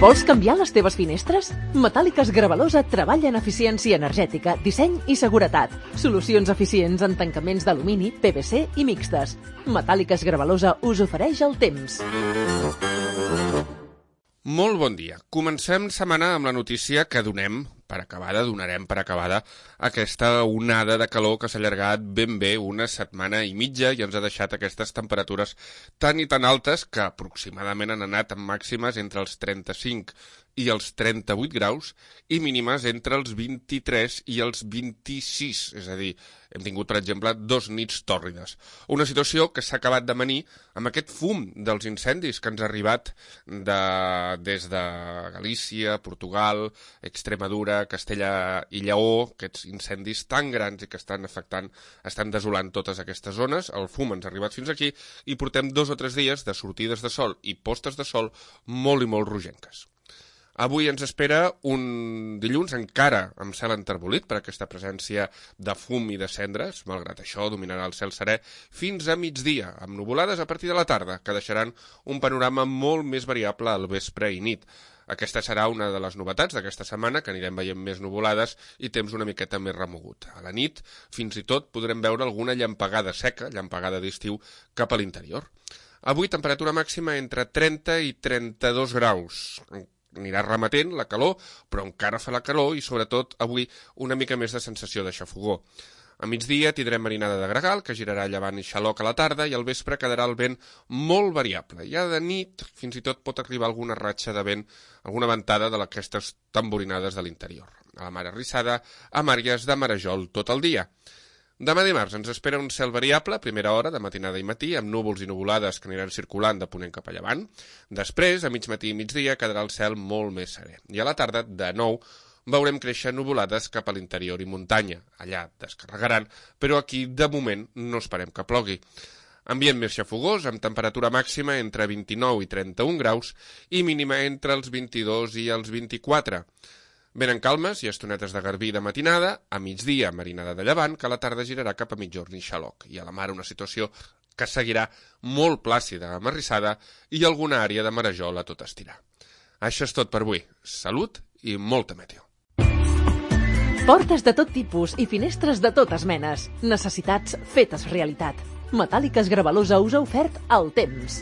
Vols canviar les teves finestres? Metàl·liques Gravalosa treballa en eficiència energètica, disseny i seguretat. Solucions eficients en tancaments d'alumini, PVC i mixtes. Metàl·liques Gravalosa us ofereix el temps. Molt bon dia. Comencem setmana amb la notícia que donarem per acabada aquesta onada de calor que s'ha allargat ben bé una setmana i mitja i ens ha deixat aquestes temperatures tan i tan altes que aproximadament han anat amb màximes entre els 35 i els 38 graus i mínimes entre els 23 i els 26, és a dir, hem tingut, per exemple, 2 nits tòrrides. Una situació que s'ha acabat d'amanir amb aquest fum dels incendis que ens ha arribat des de Galícia, Portugal, Extremadura, Castella i Lleó, aquests incendis tan grans i que estan desolant totes aquestes zones. El fum ens ha arribat fins aquí i portem 2 o 3 dies de sortides de sol i postes de sol molt i molt rogenques. Avui ens espera un dilluns encara amb cel enterbolit per aquesta presència de fum i de cendres. Malgrat això, dominarà el cel serè fins a migdia, amb nuvolades a partir de la tarda, que deixaran un panorama molt més variable al vespre i nit. Aquesta serà una de les novetats d'aquesta setmana, que anirem veient més nuvolades i temps una miqueta més remogut. A la nit, fins i tot, podrem veure alguna llampegada seca, llampegada d'estiu, cap a l'interior. Avui, temperatura màxima entre 30 i 32 graus. Anirà remetent la calor, però encara fa la calor i, sobretot, avui una mica més de sensació de xafogor. A migdia tindrem marinada de gregal, que girarà llevant i xaloc a la tarda, i al vespre quedarà el vent molt variable. Ja de nit, fins i tot pot arribar alguna ratxa de vent, alguna ventada d'aquestes tamborinades de l'interior. A la mar arrissada, a màrgues de marejol tot el dia. Demà dimarts ens espera un cel variable, a primera hora, de matinada i matí, amb núvols i nuvolades que aniran circulant de ponent cap a llevant. Després, a mig matí i migdia, quedarà el cel molt més serè. I a la tarda, de nou, veurem créixer nuvolades cap a l'interior i muntanya. Allà descarregaran, però aquí, de moment, no esperem que plogui. Ambient més xafogós, amb temperatura màxima entre 29 i 31 graus i mínima entre els 22 i els 24. Venen calmes i estonetes de garbí de matinada, a migdia marinada de llevant, que a la tarda girarà cap a mitjorn i xaloc. I a la mar una situació que seguirà molt plàcida, amarrissada i alguna àrea de marejol a tot estirar. Això és tot per avui. Salut i molta meteo. Portes de tot tipus i finestres de totes menes. Necessitats fetes realitat. Metàl·liques Gravalosa us ha ofert el temps.